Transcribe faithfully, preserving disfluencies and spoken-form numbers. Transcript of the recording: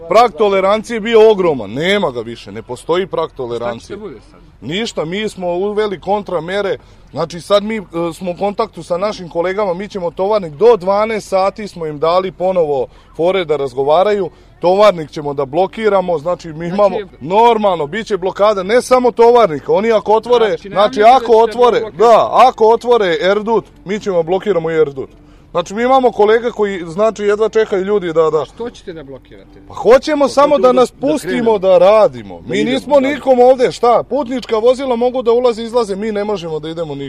Prag tolerancije je bio ogroman, nema ga više, ne postoji prag tolerancije. Šta će bude sad? Ništa, mi smo uveli kontramere, znači sad mi smo u kontaktu sa našim kolegama, mi ćemo tovarnik, do dvanaest sati smo im dali ponovo fore da razgovaraju, tovarnik ćemo da blokiramo, znači mi imamo, znači, normalno, bit će blokada, ne samo tovarnika, oni ako otvore, znači, znači ako otvore, da, ako otvore Erdut, mi ćemo blokiramo i Erdut. Znači mi imamo kolega koji, znači, jedva čekaju ljudi da... da... Što ćete da blokirate? Pa hoćemo samo da nas pustimo da radimo. Mi nismo nikom ovde, šta, putnička vozila mogu da ulaze i izlaze, mi ne možemo da idemo nikom.